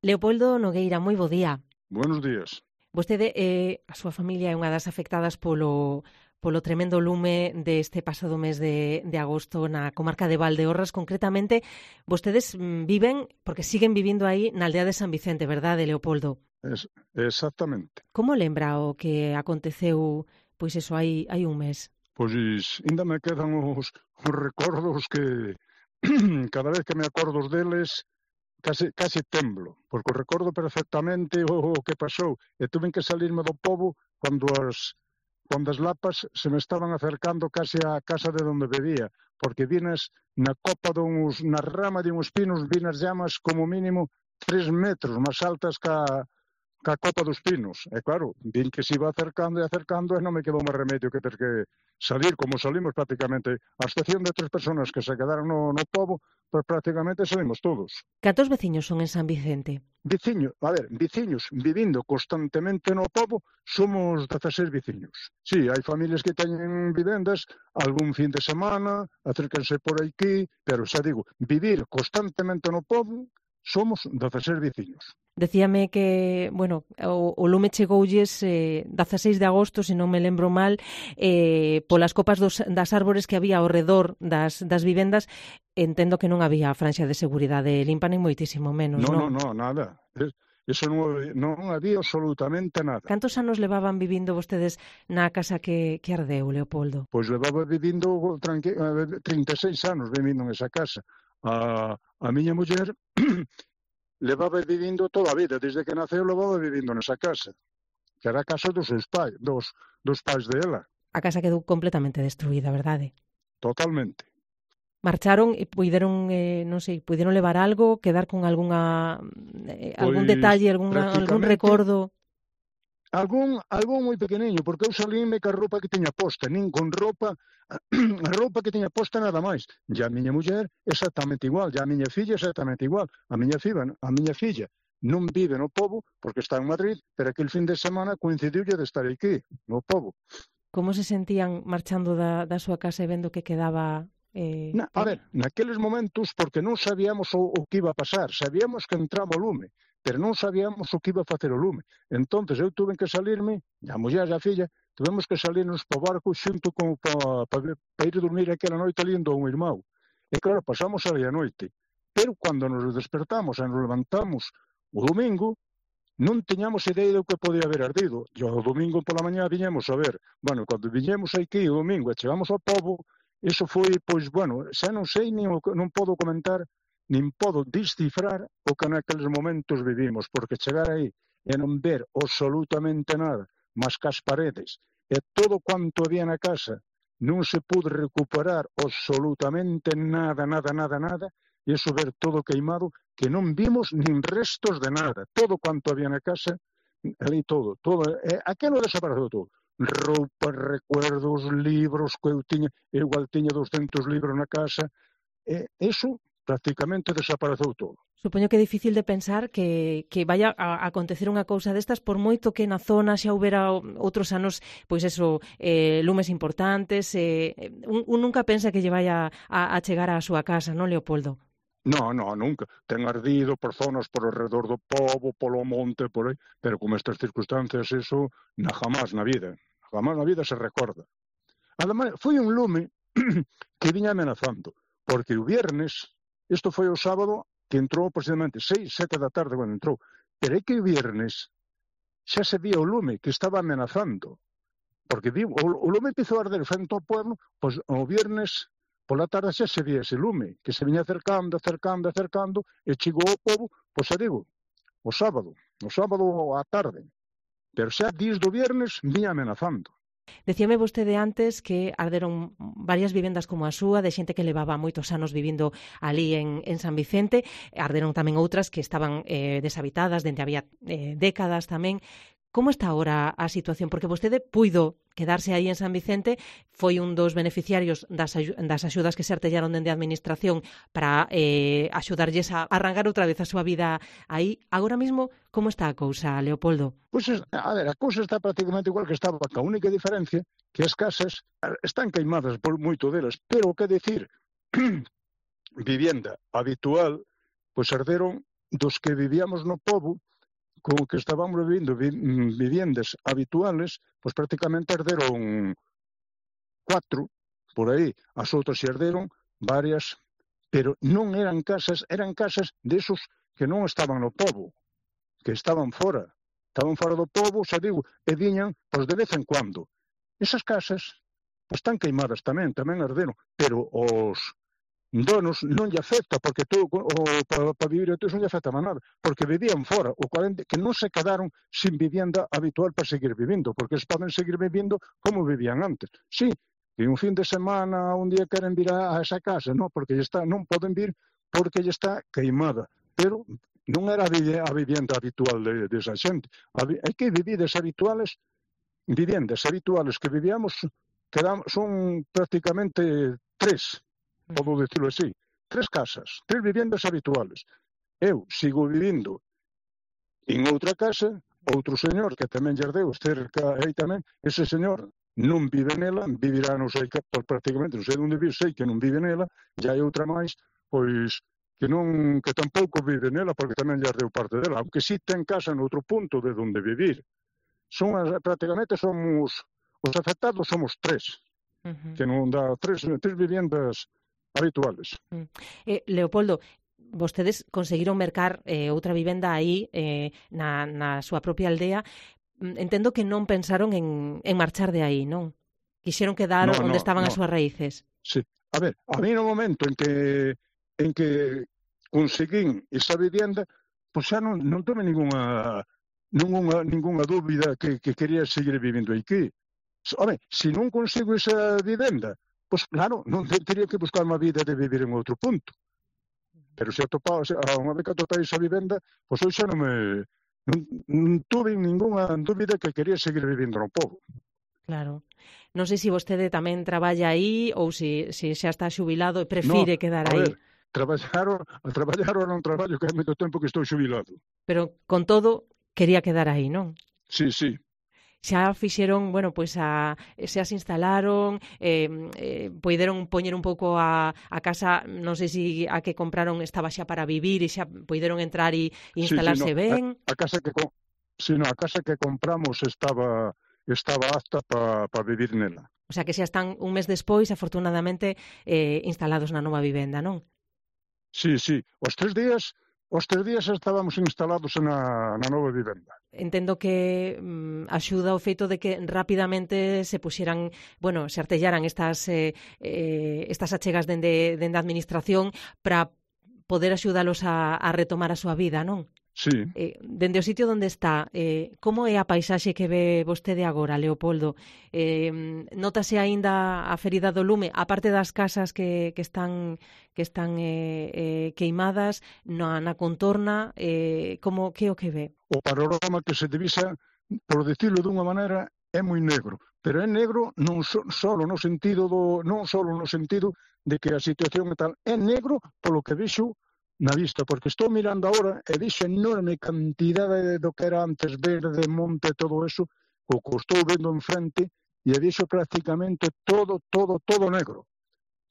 Leopoldo Nogueira, moi bo día. Buenos días. Vostede, a súa familia é unha das afectadas polo tremendo lume deste pasado mes de agosto na comarca de Valdeorras. Concretamente, vostedes viven, porque siguen vivindo aí na aldea de San Vicente, verdade, Leopoldo? Exactamente. Como lembra o que aconteceu, pois eso, hai un mes? Pois ainda me quedan os recordos que cada vez que me acordo deles case temblo, porque o recordo perfectamente o que pasou e tuve que salirme do pobo cando as lapas se me estaban acercando case á casa de onde vivía, porque vinas na rama de uns pinos, vinas llamas como mínimo 3 metros máis altas ca copa dos pinos. E claro, vin que se iba acercando e acercando e non me quedou máis remedio que ter que salir, como salimos prácticamente, a excepción de 3 personas que se quedaron no pobo, pues prácticamente salimos todos. Cantos veciños son en San Vicente? Veciños vivindo constantemente no pobo, somos 16 veciños. Sí, hai familias que teñen vivendas, algún fin de semana, acércanse por aquí, pero xa digo, vivir constantemente no pobo, somos 16 veciños. Decíame que, bueno, o lume chegoulles 16 de agosto, se non me lembro mal, polas copas das árbores que había ao redor das vivendas. Entendo que non había franxa de seguridade limpa, nin moitísimo menos, non? Non, nada. Eso non había absolutamente nada. Cantos anos levaban vivindo vostedes na casa que ardeu, Leopoldo? Pois levaba vivindo 36 anos vivindo nesa casa. A miña muller levaba vivindo toda a vida, desde que naceu levaba vivindo nesa casa, que era a casa dos seus pais, dos pais dela. A casa quedou completamente destruída, verdade? Totalmente. Marcharon e puideron, non sei, puideron levar algo, quedar con algún detalle, algún recordo? Algún moi pequeniño, porque eu salíme ca roupa que tiña posta, nin con roupa, a roupa que tiña posta nada máis. E a miña muller exactamente igual, e a miña filla exactamente igual. A miña filla non vive no pobo, porque está en Madrid, pero aquel fin de semana coincidiulle de estar aquí, no pobo. Como se sentían marchando da súa casa e vendo que quedaba... naqueles momentos, porque non sabíamos o que iba a pasar, sabíamos que entraba o lume, pero non sabíamos o que iba a facer o lume. Entonces eu tuve que salirme, a muller e a filla, tuvemos que salirnos po barco xunto para ir dormir aquela noite ali do un irmão. E claro, pasamos ali a noite. Pero cando nos despertamos e nos levantamos o domingo, non tiñamos idea do que podía haber ardido. E o domingo pola mañá viñemos a ver. Bueno, cando viñemos aquí o domingo e chegamos ao pobo, iso foi, pois, bueno, xa non sei, non podo comentar, nin podo descifrar o que naqueles momentos vivimos, porque chegar aí e non ver absolutamente nada, mas que as paredes e todo quanto había na casa, non se pude recuperar absolutamente nada, e iso ver todo queimado, que non vimos nin restos de nada, todo quanto había na casa, ali todo, aquilo desapareceu todo. Roupas, recuerdos, libros que eu igual tiña 200 libros na casa, e iso prácticamente desapareceu todo. Supoño que é difícil de pensar que vaya a acontecer unha cousa destas, por moito que na zona xa houbera outros anos, pois eso, lumes importantes, un nunca pensa que lle vaya a chegar á súa casa, non, Leopoldo? Non, nunca. Ten ardido por zonas por alrededor do pobo, polo monte, por aí, pero con estas circunstancias, eso, jamás na vida se recorda. Ademais, foi un lume que viña amenazando, porque o viernes, isto foi o sábado, que entrou precisamente 6, 7 da tarde cando entrou, pero é que o viernes xa se vía o lume que estaba amenazando, porque o lume empezou a arder frente ao pueblo, pois o viernes pola tarde xa se vía ese lume, que se viña acercando, e chegou ao pobo, pois xa digo, o sábado á tarde, pero xa días do viernes viña amenazando. Decíame vostede antes que arderon varias vivendas como a súa, de xente que levaba moitos anos vivindo ali en San Vicente, arderon tamén outras que estaban deshabitadas, dende había décadas tamén. Como está agora a situación? Porque vostede puido quedarse aí en San Vicente, foi un dos beneficiarios das axudas que se artellaron dende a Administración para axudarlles a arrancar outra vez a súa vida aí. Agora mesmo, como está a cousa, Leopoldo? Pois, a cousa está prácticamente igual que estaba, a única diferencia que as casas están queimadas por moito delas, pero o que decir, vivienda habitual, pois arderon dos que vivíamos no pobo, con que estábamos vivindo viviendas habituales, pois prácticamente herderon 4, por aí. As outras herderon varias, pero non eran casas desos que non estaban no pobo, que estaban fora do pobo, xa digo, e viñan, pois de vez en cuando. Esas casas, pois están queimadas tamén arderon, pero os donos non lle afecta, porque tú, para vivir a todos non lle afecta nada, porque vivían fora, o 40, que non se quedaron sin vivienda habitual para seguir vivindo, porque eles poden seguir vivindo como vivían antes. Sí, que un fin de semana, un día queren vir a esa casa, non, porque non poden vir porque lle está queimada, pero non era a vivienda habitual desa xente. Hai que viviendas habituales que vivíamos, son prácticamente 3, podo decirlo así, 3 casas, 3 viviendas habituales. Eu sigo vivindo en outra casa, outro señor que tamén lle herdeu cerca aí tamén, ese señor non vive nela, vivirá, non sei, prácticamente, non sei onde vive, sei que non vive nela, e hai outra máis, pois, que tampouco vive nela, porque tamén lle herdeu parte dela, aunque sí ten casa noutro punto de onde vivir. Prácticamente os afectados somos 3, que non dá 3 viviendas habituales. Leopoldo, vostedes conseguiron mercar outra vivenda aí na súa propia aldea. Entendo que non pensaron en marchar de aí, non? Quixeron quedar onde estaban as súas raíces. Sí. A ver, a mí no momento en que conseguín esa vivenda, pois xa non tuve ningunha dúbida que quería seguir vivindo aquí. Home, se non consigo esa vivenda, pois claro, non teria que buscar unha vida de vivir en outro punto. Pero se unha vez que atopei esa vivenda, pois eu xa non tuve ningunha dúbida que quería seguir vivindo no pobo. Claro. Non sei se vostede tamén traballa aí ou se xa está xubilado e prefire quedar aí. A ver, traballar ou non traballo, que hai moito tempo que estou xubilado. Pero, con todo, quería quedar aí, non? Sí, sí. Xa fixeron, pois xa se instalaron, poideron poñer un pouco a casa, non sei se a que compraron estaba xa para vivir e xa poideron entrar e instalarse ben. A casa que compramos estaba apta para vivir nela. O sea que xa están un mes despois, afortunadamente, instalados na nova vivenda, non? Sí, sí. Os 3 días estábamos instalados na nova vivenda. Entendo que axuda o feito de que rapidamente se puxeran, se artellaran estas achegas dende a administración para poder axudalos a retomar a súa vida, non? Sí. Dende o sitio onde está, como é a paisaxe que ve vostede agora, Leopoldo? Nótase aínda a ferida do lume, aparte das casas que están queimadas na contorna, que é o que ve? O panorama que se divisa, por decirlo dunha maneira, é moi negro, pero é negro non só no sentido de que a situación é tal, é negro polo que vexo na vista, porque estou mirando agora e vexo enorme cantidade do que era antes verde, monte, todo eso, o que estou vendo enfrente, e vexo prácticamente todo negro.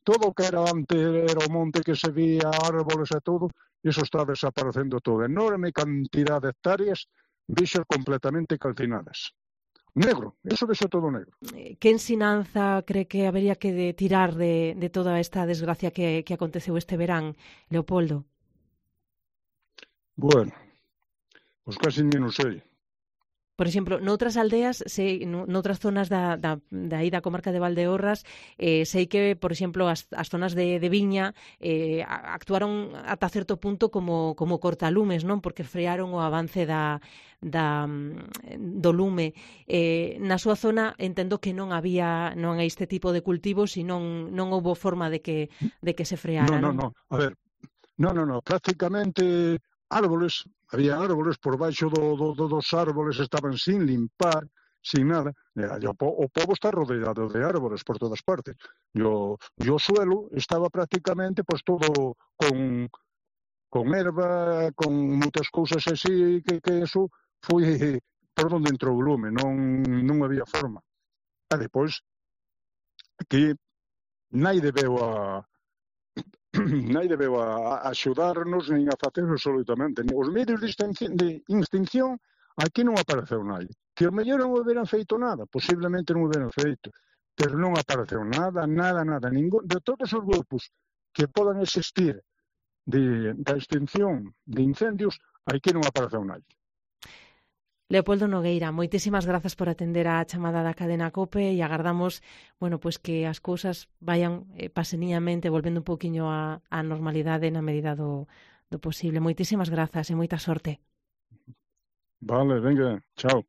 Todo o que era antes era o monte que se vía, árboles e todo, iso está desaparecendo todo. Enorme cantidade de hectáreas vexo completamente calcinadas. Negro, eso vexo todo negro. Que ensinanza cree que habería que tirar de toda esta desgracia que aconteceu este verán, Leopoldo? Bueno, pois casi non sei. Por exemplo, noutras aldeas, noutras zonas da comarca de Valdeorras, sei que, por exemplo, as zonas de Viña actuaron ata certo punto como cortalumes, non? Porque frearon o avance do lume. Na súa zona entendo que non hai este tipo de cultivos e non houbo forma de que se freara, non? Non, a ver, non, prácticamente había árboles por baixo dos árboles, estaban sin limpar, sin nada. O pobo está rodeado de árboles por todas partes. E o suelo estaba prácticamente todo con erva, con moitas cousas así, que eso foi por onde entrou o lume, non había forma. E depois, que naide veo naide veu a axudarnos nin a facer absolutamente. Os medios de extinción aquí non apareceu naide. Que o mellor non houberan feito nada, posiblemente non houberan feito, pero non apareceu nada, ningún, de todos os grupos que podan existir da extinción de incendios, aquí non apareceu naide. Leopoldo Nogueira, moitísimas grazas por atender a chamada da cadena COPE e agardamos, pues que as cousas vayan paseniñamente volvendo un poquinho á normalidade na medida do posible. Moitísimas grazas e moita sorte. Vale, venga, chao.